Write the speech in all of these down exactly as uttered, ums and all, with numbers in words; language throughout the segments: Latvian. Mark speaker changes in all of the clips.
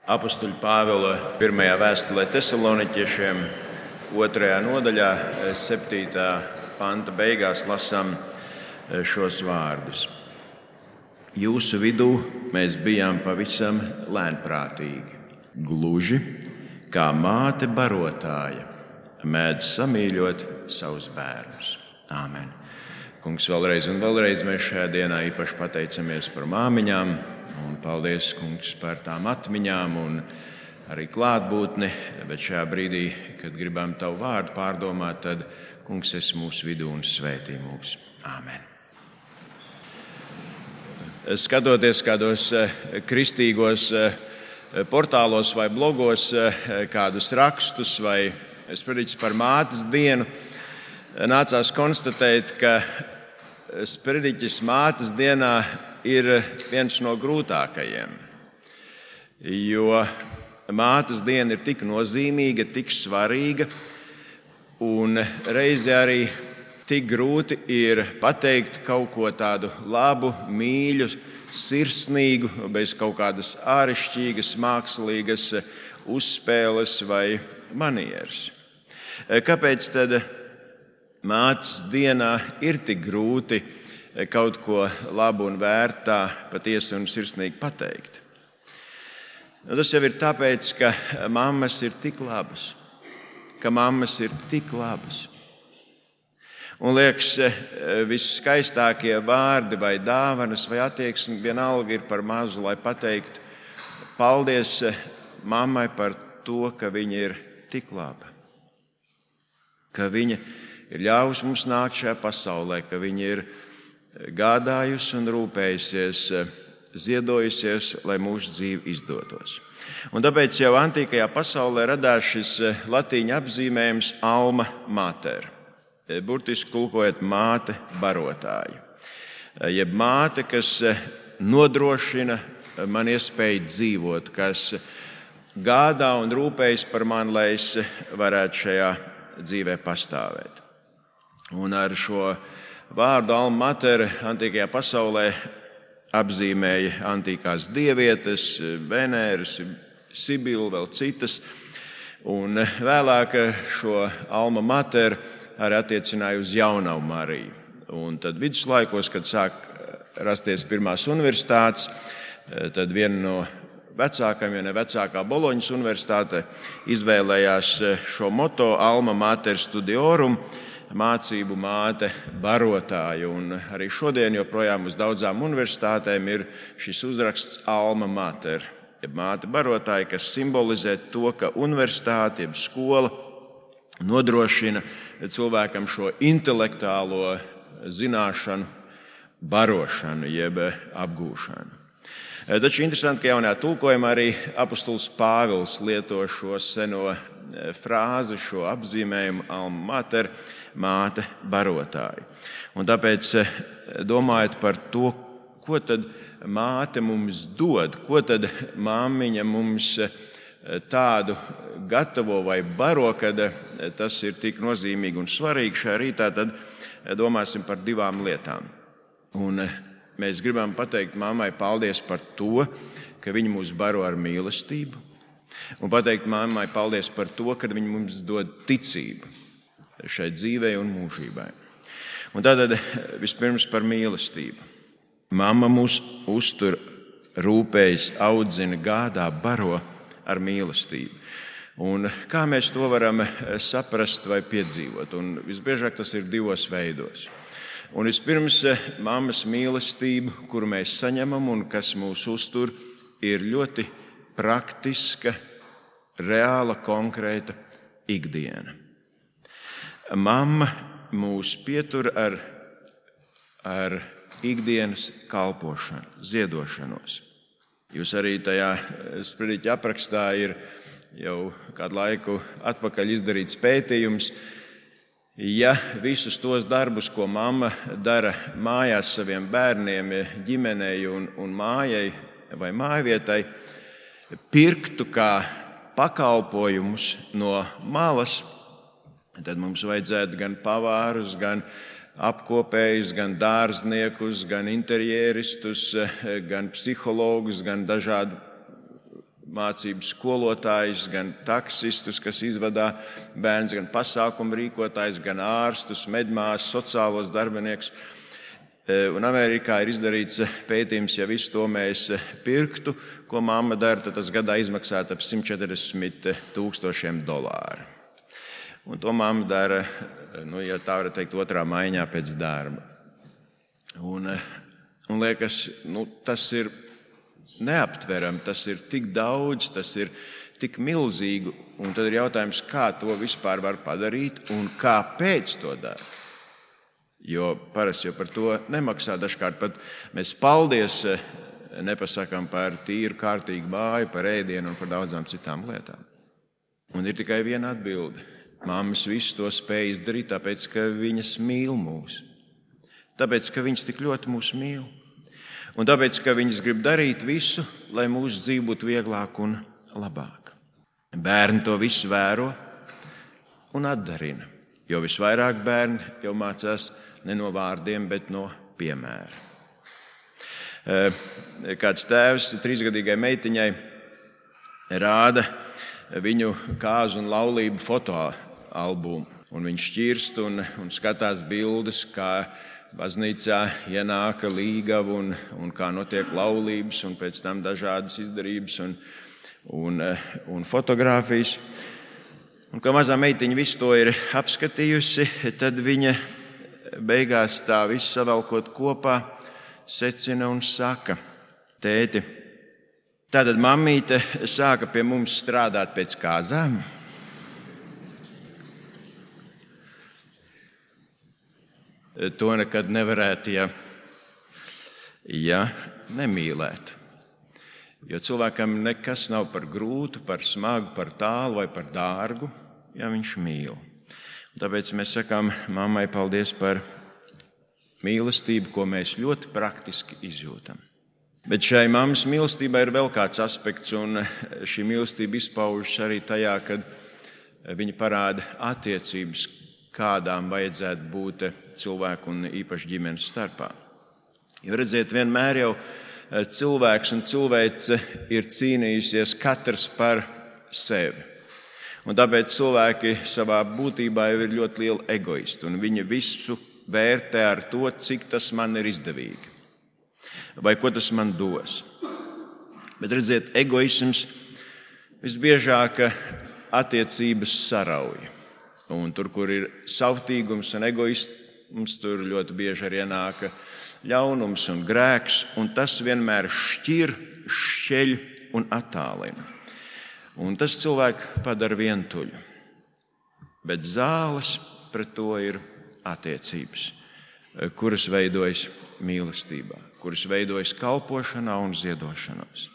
Speaker 1: Apostuļa Pāvila pirmajā vēstulē Tesaloniķiešiem, otrajā nodaļā, septītā panta beigās lasām šos vārdus. Jūsu vidū mēs bijām pavisam lēnprātīgi, gluži kā māte barotāja mēdz samīļot savus bērnus. Āmen. Kungs, vēlreiz un vēlreiz mēs šajā dienā īpaši pateicamies par māmiņām. Un paldies, Kungs, par tām atmiņām un arī klātbūtni, bet šajā brīdī, kad gribam Tavu vārdu pārdomāt, tad, Kungs, esi mūsu vidū un svētī mūs. Āmen. Skatoties kādos kristīgos portālos vai blogos, kādus rakstus vai sprediķus par mātes dienu, nācās konstatēt, ka sprediķis mātes dienā ir viens no grūtākajiem, jo mātes diena ir tik nozīmīga, tik svarīga, un reizi arī tik grūti ir pateikt kaut ko tādu labu, mīļu, sirsnīgu, bez kaut kādas āršķirīgas, mākslīgas uzspēles vai manieres. Kāpēc tad mātes dienā ir tik grūti kaut ko labu un vērtā, patiesi un sirsnīgi pateikt? Tas jau ir tāpēc, ka mammas ir tik labas, ka mammas ir tik labas. Un liekas, visskaistākie vārdi vai dāvanas vai attieksme vienalga ir par mazu, lai pateiktu paldies mammai par to, ka viņa ir tik laba, ka viņa ir ļāvusi mums nākt šajā pasaulē, ka viņa ir gādājusi un rūpējusies, ziedojusies, lai mūsu dzīve izdotos. Un tāpēc jau antīkajā pasaulē radās šis latīņu apzīmējums alma mater, burtiski tulkojot māte barotāja, jeb māte, kas nodrošina man iespēju dzīvot, kas gādā un rūpējas par mani, lai es varētu šajā dzīvē pastāvēt. Un ar šo vārdu alma mater antīkajā pasaulē apzīmēja antīkās dievietes, Venēras, Sibilu, vēl citas. Un vēlāk šo alma mater arī attiecināja uz jaunavu Mariju. Un tad viduslaikos, kad sāk rasties pirmās universitātes, tad viena no vecākām, ja ne vecākā Boloņas universitāte, izvēlējās šo moto alma mater studiorum, mācību māte barotāja. Un arī šodien joprojām uz daudzām universitātēm ir šis uzraksts alma mater, jeb māte barotāja, kas simbolizē to, ka universitāte, jeb skola, nodrošina cilvēkam šo intelektuālo zināšanu barošanu, jeb apgūšanu. Taču interesanti, ka jaunajā tulkojumā arī apostols Pāvils lieto šo seno frāzi, šo apzīmējumu alma mater, māte barotāja. Un tāpēc domājot par to, ko tad māte mums dod, ko tad māmiņa mums tādu gatavo vai baro, kad tas ir tik nozīmīgi un svarīgi šajā rītā, tad domāsim par divām lietām. Un mēs gribam pateikt mammai paldies par to, ka viņa mūs baro ar mīlestību, un pateikt mammai paldies par to, ka viņa mums dod ticību šai dzīvei un mūžībai. Un tātad vispirms par mīlestību. Mamma mūs uztur, rūpējas, audzina, gādā, baro ar mīlestību. Un kā mēs to varam saprast vai piedzīvot? Un visbiežāk tas ir divos veidos. Un vispirms mammas mīlestību, kuru mēs saņemam un kas mūs uztur, ir ļoti praktiska, reāla, konkrēta ikdiena. Mamma mūs pietur ar, ar ikdienas kalpošanu, ziedošanos. Jūs arī tajā sprediķa aprakstā ir jau kādu laiku atpakaļ izdarīts pētījums. Ja visus tos darbus, ko mamma dara mājās saviem bērniem, ģimenei un, un mājai vai mājvietai, pirktu kā pakalpojumus no malas, tad mums vajadzētu gan pavārus, gan apkopējus, gan dārzniekus, gan interjeristus, gan psihologus, gan dažādu mācību skolotājus, gan taksistus, kas izvadā bērns, gan pasākumu rīkotājus, gan ārstus, medmāsas, sociālos darbiniekus. Un Amerikā ir izdarīts pētījums, ja visu to mēs pirktu, ko mamma dara, tad tas gadā izmaksātu ap simt četrdesmit tūkstošiem dolāru. Un to mamma dara, nu, ja tā var teikt, otrā maiņā pēc darba. Un, un liekas, nu, tas ir neaptverami, tas ir tik daudz, tas ir tik milzīgi, un tad ir jautājums, kā to vispār var padarīt un kāpēc to dara. Jo parasti jau par to nemaksā, dažkārt pat mēs paldies nepasakām par tīru, kārtīgu māju, par ēdienu un par daudzām citām lietām. Un ir tikai viena atbilde. Mammas visu to spēj izdarīt, tāpēc, ka viņas mīl mūs. Tāpēc, ka viņas tik ļoti mūs mīl. Un tāpēc, ka viņas grib darīt visu, lai mūsu dzīve būtu vieglāka un labāka. Bērni to visu vēro un atdarina, jo visvairāk bērni jau mācās ne no vārdiem, bet no piemēra. Kāds tēvs trīsgadīgai meitiņai rāda viņu kāzu un laulību fotoalbumu, un viņš šķirst un, un skatās bildes, kā baznīcā ienāka līgava un, un kā notiek laulības, un pēc tam dažādas izdarības un, un, un fotogrāfijas. Un, kā mazā meitiņa visu to ir apskatījusi, tad viņa beigās tā visu savelkot kopā secina un saka: tēti, tātad mammīte sāka pie mums strādāt pēc kāzām? To nekad nevarētu, ja, ja nemīlētu. Jo cilvēkam nekas nav par grūtu, par smagu, par tālu vai par dārgu, ja viņš mīl. Un tāpēc mēs sakām mammai paldies par mīlestību, ko mēs ļoti praktiski izjūtam. Bet šai mammas mīlestībai ir vēl kāds aspekts, un šī mīlestība izpaužas arī tajā, kad viņa parāda attiecības, kādām vajadzētu būt cilvēku un īpaši ģimenes starpā. Jo redziet, vienmēr jau cilvēks un cilvēce ir cīnījusies katrs par sevi. Un tāpēc cilvēki savā būtībā jau ir ļoti lieli egoisti, un viņi visu vērtē ar to, cik tas man ir izdevīgi, vai ko tas man dos. Bet redziet, egoisms visbiežāk attiecības sarauj. Un tur, kur ir savtīgums un egoisms, tur ļoti bieži arī ienāk ļaunums un grēks, un tas vienmēr šķir, šķeļ un attālina. Un tas cilvēku padara vientuļu. Bet zāles pret to ir attiecības, kuras veidojas mīlestībā, kuras veidojas kalpošanā un ziedošanos.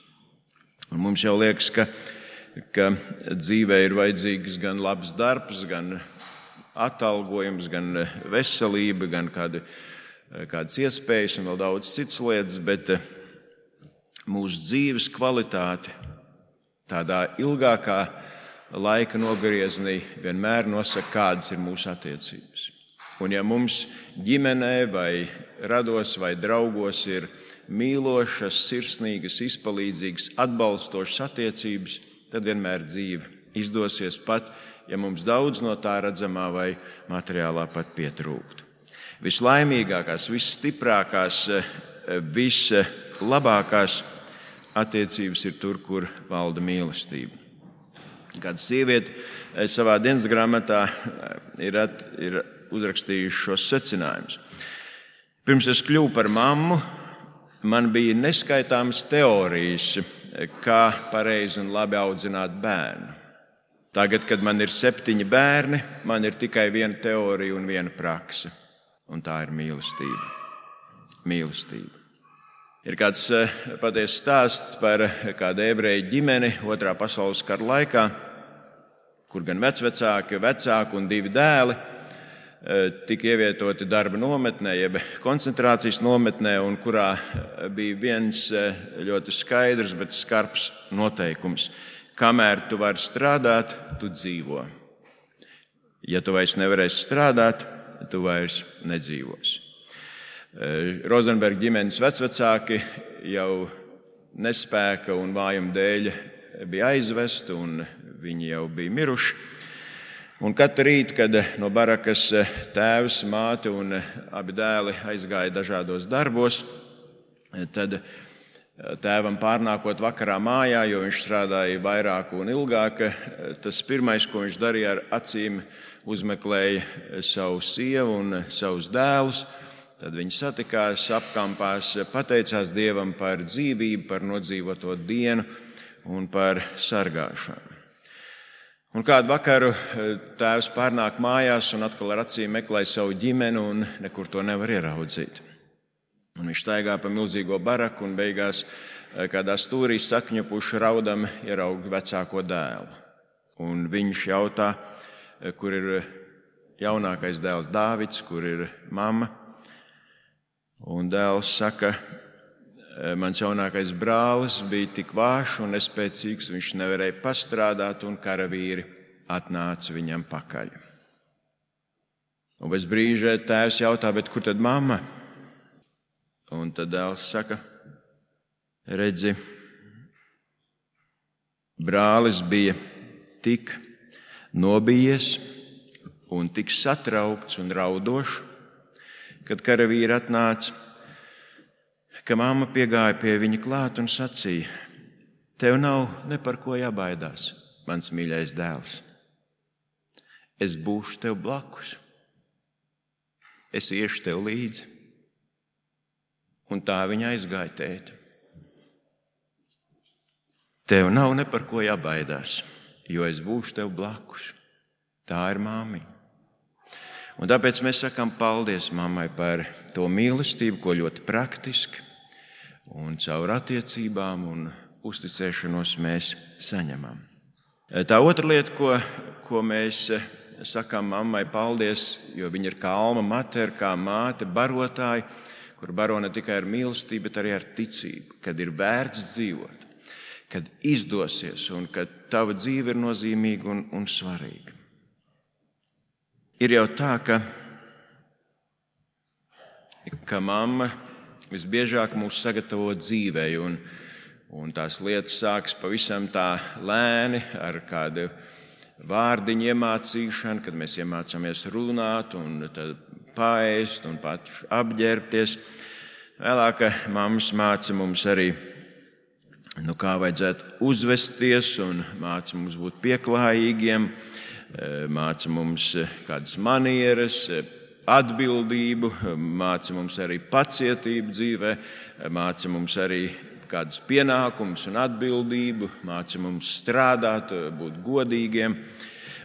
Speaker 1: Un mums jau liekas, ka ka dzīvē ir vajadzīgs gan labs darbs, gan atalgojums, gan veselība, gan kādi, kādas iespējas un vēl daudz citas lietas, bet mūsu dzīves kvalitāte tādā ilgākā laika nogriezienī vienmēr nosaka, kādas ir mūsu attiecības. Un ja mums ģimenē vai rados vai draugos ir mīlošas, sirsnīgas, izpalīdzīgas, atbalstošas attiecības, tad vienmēr dzīve izdosies pat, ja mums daudz no tā redzamā vai materiālā pat pietrūktu. Vislaimīgākās, visstiprākās, vislabākās attiecības ir tur, kur valda mīlestība. Kāda sieviete savā dienas grāmatā ir, at, ir uzrakstījuši šos secinājumus. Pirms es kļuvu par mammu, man bija neskaitāmas teorijas, kā pareizi un labi audzināt bērnu. Tagad, kad man ir septiņi bērni, man ir tikai viena teorija un viena prakse, un tā ir mīlestība. Mīlestība. Ir kāds patiesas stāsts par kādu ebreju ģimeni otrā pasaules kara laikā, kur gan vecvecāki, vecāki un divi dēli tika ievietoti darba nometnē, jeb koncentrācijas nometnē, un kurā bija viens ļoti skaidrs, bet skarbs noteikums. Kamēr tu vari strādāt, tu dzīvo. Ja tu vairs nevarēsi strādāt, tu vairs nedzīvosi. Rozenberga ģimenes vecvecāki jau nespēka un vājuma dēļ bija aizvesti un viņi jau bija miruši. Un katru rītu, kad no barakas tēvs, māte un abi dēli aizgāja dažādos darbos, tad tēvam pārnākot vakarā mājā, jo viņš strādāja vairāk un ilgāk, tas pirmais, ko viņš darīja ar acīm, uzmeklēja savu sievu un savus dēlus. Tad viņi satikās, apkampās, pateicās Dievam par dzīvību, par nodzīvoto dienu un par sargāšanu. Un kādu vakaru tēvs pārnāk mājās un atkal ar acīm meklē savu ģimeni un nekur to nevar ieraudzīt. Un viņš staigā pa milzīgo baraku un beigās kādā stūrī sakņupuši raudam ieraug vecāko dēlu. Un viņš jautā, kur ir jaunākais dēls Dāvids, kur ir mamma. Un dēls saka, mans jaunākais brālis bija tik vājš un nespēcīgs, viņš nevarēja pastrādāt un karavīri atnāca viņam pakaļ. Un pēc brīža tēvs jautā, bet kur tad mamma? Un tad dēls saka, redzi, brālis bija tik nobijies un tik satraukts un raudošs, kad karavīri atnāca, ka mamma piegāja pie viņa klāt un sacīja, tev nav ne par ko jābaidās, mans mīļais dēls. Es būšu tev blakus. Es iešu tev līdzi. Un tā viņa aizgāja tēti. Tev nav ne par ko jābaidās, jo es būšu tev blakus. Tā ir māmiņa. Un tāpēc mēs sakām paldies mammai par to mīlestību, ko ļoti praktiski un caur attiecībām un uzticēšanos mēs saņemam. Tā otra lieta, ko, ko mēs sakām mammai paldies, jo viņa ir kā alma mater, kā māte, barotāja, kur baro ne tikai ar mīlestību, bet arī ar ticību, kad ir vērts dzīvot, kad izdosies un kad tava dzīve ir nozīmīga un, un svarīga. Ir jau tā, ka, ka mamma visbiežāk mūs sagatavo dzīvei, un, un tās lietas sākas pavisam tā lēni ar kādu vārdiņu iemācīšanu, kad mēs iemācāmies runāt un tad paēst un pat apģērbties. Vēlāk mammas māca mums arī, nu, kā vajadzētu uzvesties un māca mums būt pieklājīgiem, māca mums kādas manieres, atbildību, māca mums arī pacietību dzīvē, māca mums arī kādus pienākumus un atbildību, māca mums strādāt, būt godīgiem.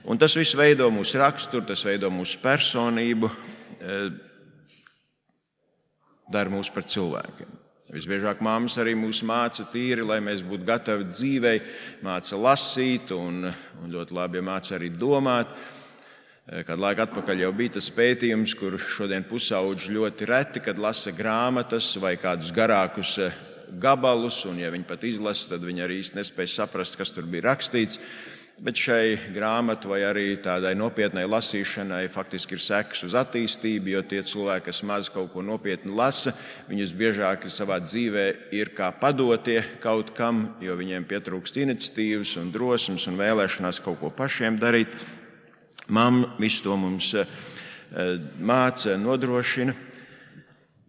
Speaker 1: Un tas viss veido mūsu raksturu, tas veido mūsu personību, dara mūs par cilvēkiem. Visbiežāk māmas arī mūs māca tīri, lai mēs būtu gatavi dzīvei, māca lasīt un, un ļoti labi māca arī domāt. Kādu laiku atpakaļ jau bija tas pētījums, kur šodien pusauģi ļoti reti, kad lasa grāmatas vai kādus garākus gabalus, un ja viņi pat izlasa, tad viņi arī īsti nespēja saprast, kas tur bija rakstīts. Bet šai grāmatu vai arī tādai nopietnai lasīšanai faktiski ir sekas uz attīstību, jo tie cilvēki, kas maz kaut ko nopietni lasa, viņus biežāk savā dzīvē ir kā padotie kaut kam, jo viņiem pietrūkst iniciatīvas un drosmes un vēlēšanās kaut ko pašiem darīt. Mamma visu to mums māca, nodrošina,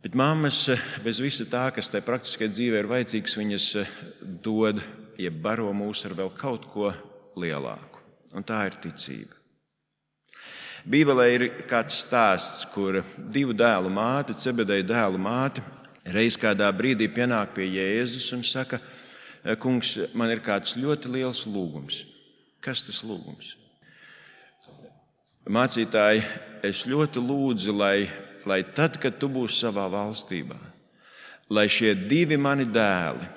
Speaker 1: bet mammas bez visa tā, kas tai praktiskajā dzīvē ir vajadzīgs, viņas dod, jeb baro mūs ar vēl kaut ko lielāku, un tā ir ticība. Bībelē ir kāds stāsts, kur divu dēlu māte, Cebedeja dēlu māte, reiz kādā brīdī pienāk pie Jēzus un saka, kungs, man ir kāds ļoti liels lūgums. Kas tas lūgums? Mācītāji, es ļoti lūdzu, lai, lai tad, kad tu būsi savā valstībā, lai šie divi mani dēli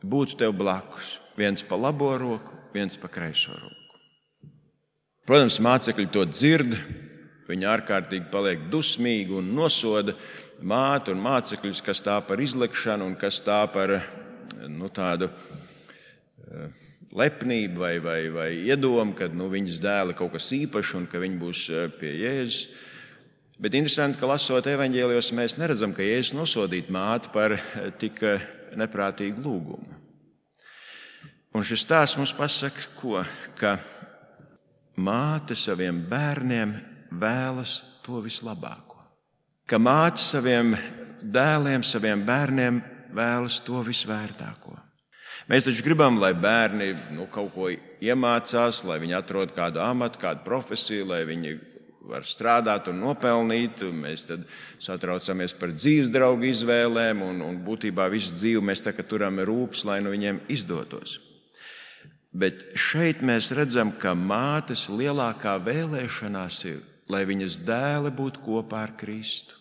Speaker 1: būtu tev blakus, viens pa labo roku, viens pa kreiso roku. Protams, mācekļi to dzird, viņi ārkārtīgi paliek dusmīgi un nosoda māti un mācekļus, kas tā par izlikšanu un kas tā par nu, tādu lepnību vai, vai, vai iedomu, ka nu, viņas dēli kaut kas īpašs un ka viņi būs pie Jēzus. Bet interesanti, ka lasot evaņģēlijos, mēs neredzam, ka Jēzus nosodītu māti par tik neprātīgu lūgumu. Un šis stāsts mums pasaka, ko? Ka māte saviem bērniem vēlas to vislabāko. Ka māte saviem dēliem, saviem bērniem vēlas to visvērtāko. Mēs taču gribam, lai bērni nu, kaut ko iemācās, lai viņi atrod kādu amatu, kādu profesiju, lai viņi var strādāt un nopelnīt. Un mēs tad satraucamies par dzīves draugu izvēlēm un, un būtībā visu dzīvi mēs tā kā turam rūpes, lai no viņiem izdotos. Bet šeit mēs redzam, ka mātes lielākā vēlēšanās ir, lai viņas dēli būtu kopā ar Kristu.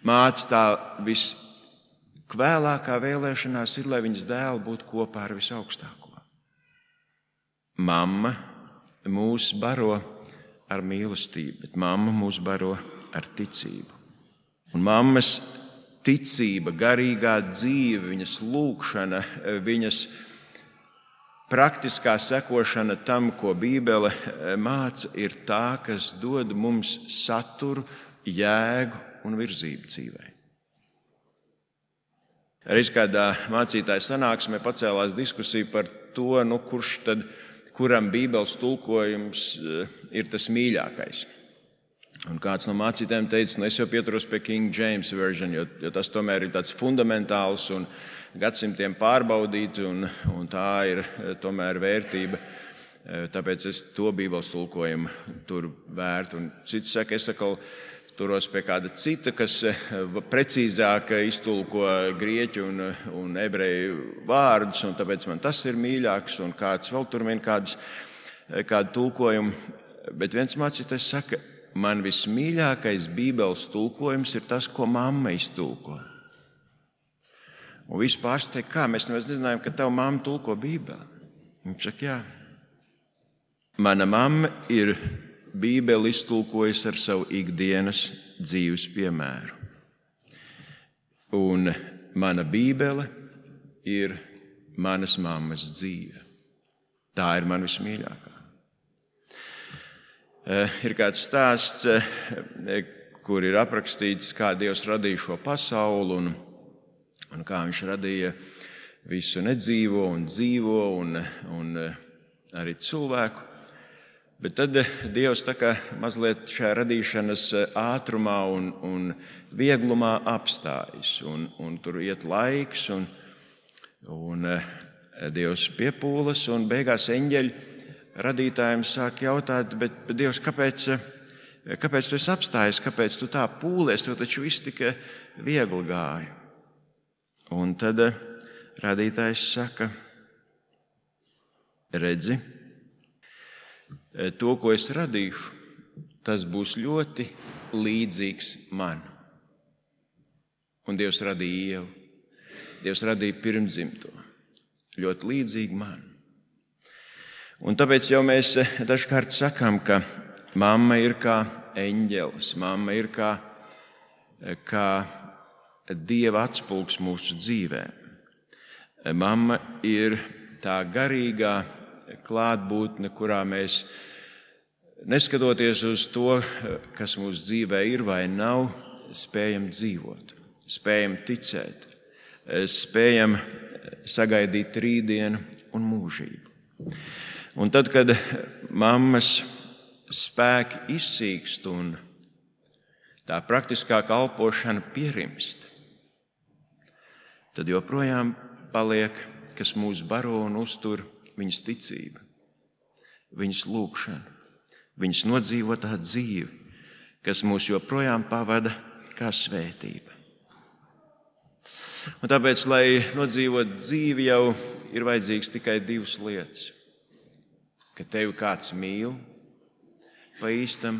Speaker 1: Mātes tā viskvēlākā vēlēšanās ir, lai viņas dēli būtu kopā ar visaugstāko. Mamma mūs baro ar mīlestību, bet mamma mūs baro ar ticību. Un mammas ticība, garīgā dzīve, viņas lūgšana, viņas praktiskā sekošana tam, ko Bībele māca, ir tā, kas dod mums saturu, jēgu un virzību dzīvē. Reiz kādā mācītāja sanāksmē pacēlās diskusija par to, nu, kurš tad, kuram Bībeles tulkojums ir tas mīļākais. Un kāds no mācītājiem teica, nu es jau pieturos pie King James version, jo, jo tas tomēr ir tāds fundamentāls un gadsimtiem pārbaudīti, un, un tā ir tomēr vērtība. Tāpēc es to Bībeles tulkojumu tur vērtu. Un cits saka, es atkal turos pie kāda cita, kas precīzāk iztulko grieķu un, un ebreju vārdus, un tāpēc man tas ir mīļāks, un kāds vēl tur min kādus, kādu tulkojumu. Bet viens mācītājs saka, man vismīļākais Bībeles tulkojums ir tas, ko mamma iztulko. Un visi pārsteidz, kā mēs nemaz nezinājām, ka tava mamma tulko Bībeli. Viņš saka, jā. Mana mamma ir Bībeli iztulkojusi ar savu ikdienas dzīves piemēru. Un mana Bībele ir manas mammas dzīve. Tā ir man vismīļākā. Ir kāds stāsts, kur ir aprakstīts, kā Dievs radīja šo pasauli un, un kā viņš radīja visu nedzīvo un dzīvo un, un arī cilvēku. Bet tad Dievs tā kā mazliet šajā radīšanas ātrumā un, un vieglumā apstājas. Un, un tur iet laiks un, un Dievs piepūlas un beigās eņģeļi radītājiem sāk jautāt, bet, bet Dievs, kāpēc, kāpēc tu esi apstājies, kāpēc tu tā pūlies, tev taču viss tikai viegli gāja. Un tad radītājs saka, redzi, to, ko es radīšu, tas būs ļoti līdzīgs man. Un Dievs radīja Ievu, Dievs radīja pirmdzimto, ļoti līdzīgi man. Un tāpēc jau mēs dažkārt sakām, ka mamma ir kā eņģelis, mamma ir kā, kā Dieva atspulgs mūsu dzīvē. Mamma ir tā garīgā klātbūtne, kurā mēs, neskatoties uz to, kas mūsu dzīvē ir vai nav, spējam dzīvot, spējam ticēt, spējam sagaidīt rītdienu un mūžību. Un tad, kad mammas spēki izsīkst un tā praktiskā kalpošana pierimst, tad joprojām paliek, kas mūs baro un uztur, viņas ticība, viņas lūgšana, viņas nodzīvotā dzīve, kas mūs joprojām pavada kā svētība. Un tāpēc, lai nodzīvot dzīvi, jau ir vajadzīgs tikai divas lietas. Ka tevi kāds mīl pa īstam,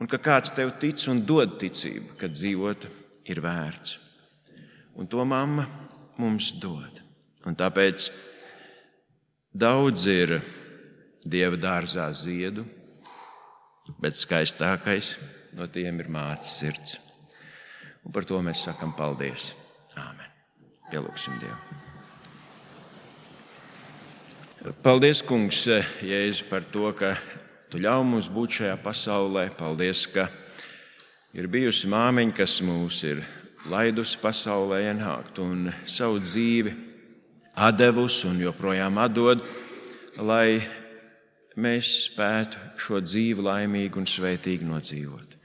Speaker 1: un ka kāds tev tic un dod ticību, ka dzīvot ir vērts. Un to mamma mums dod. Un tāpēc daudz ir Dieva dārzā ziedu, bet skaistākais no tiem ir mātes sirds. Un par to mēs sakam paldies. Āmen. Pielūgsim Dievu. Paldies, Kungs, Jēzu, par to, ka Tu ļauj mums būt šajā pasaulē. Paldies, ka ir bijusi māmiņa, kas mūs ir laidusi pasaulē ienākt un savu dzīvi atdevusi un joprojām atdod, lai mēs spētu šo dzīvi laimīgi un svētīgi nodzīvot.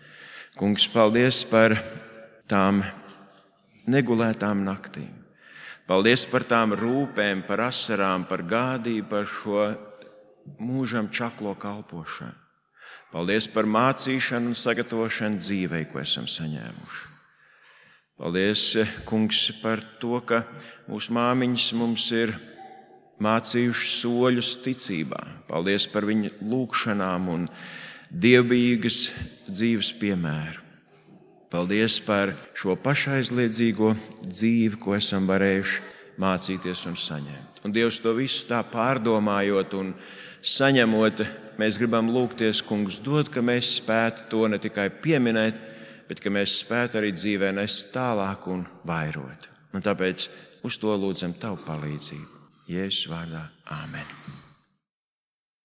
Speaker 1: Kungs, paldies par tām negulētām naktīm. Paldies par tām rūpēm, par asarām, par gādību, par šo mūžam čaklo kalpošanu. Paldies par mācīšanu un sagatavošanu dzīvei, ko esam saņēmuši. Paldies, Kungs, par to, ka mūsu māmiņas mums ir mācījuši soļus ticībā. Paldies par viņu lūgšanām un dievbijīgas dzīves piemēru. Paldies par šo pašaizliedzīgo dzīvi, ko esam varējuši mācīties un saņemt. Un Dievs, to visu tā pārdomājot un saņemot, mēs gribam lūgties, Kungs, dod, ka mēs spētu to ne tikai pieminēt, bet ka mēs spētu arī dzīvē nest tālāk un vairot. Un tāpēc uz to lūdzam Tavu palīdzību. Jēzus vārdā. Āmen.